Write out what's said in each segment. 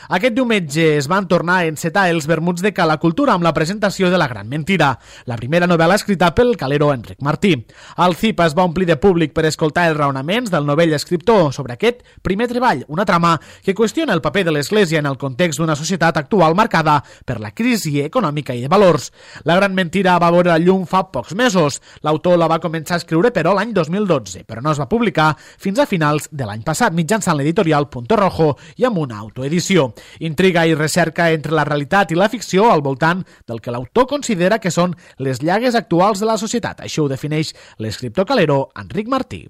Aquest diumenge es van tornar a encetar els vermuts de Cala Cultura amb la presentació de La gran mentira, la primera novel·la escrita pel calero Enric Martí. El CIP es va omplir de públic per escoltar els raonaments del novell escriptor sobre aquest primer treball, una trama que qüestiona el paper de l'Església en el context d'una societat actual marcada per la crisi econòmica i de valors. La gran mentira va veure la llum fa pocs mesos. L'autor la va començar a escriure, però, l'any 2012, però no es va publicar fins a finals de l'any passat, mitjançant l'editorial Punto Rojo i amb una autoedició. Intriga i recerca entre la realitat i la ficció al voltant del que l'autor considera que són les llagues actuals de la societat. Així ho defineix l'escriptor calero Enric Martí.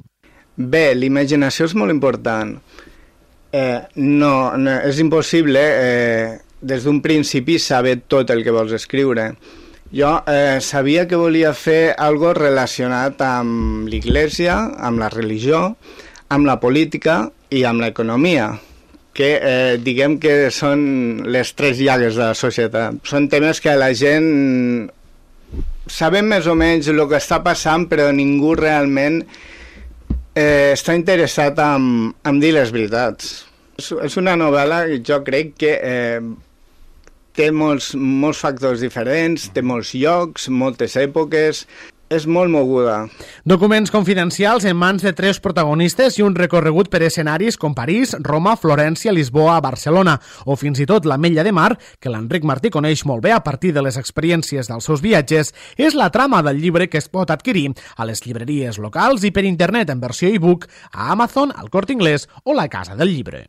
Bé, l'imaginació és molt important. No, és impossible des d'un principi saber tot el que vols escriure. Jo sabia que volia fer algo relacionat amb l'Església, amb la religió, amb la política i amb l'economia, que diguem que són les tres llagues de la societat. Són temes que la gent sabem més o menys el que està passant, però ningú realment està interessat en dir les veritats. És una novel·la que jo crec que té molts factors diferents, té molts llocs, moltes èpoques, és molt moguda. Documents confidencials en mans de 3 protagonistes i un recorregut per escenaris com París, Roma, Florència, Lisboa, Barcelona o fins i tot l'Ametlla de Mar, que l'Enric Martí coneix molt bé a partir de les experiències dels seus viatges, és la trama del llibre que es pot adquirir a les llibreries locals i per internet en versió e-book a Amazon, al Corte Inglés o la Casa del Llibre.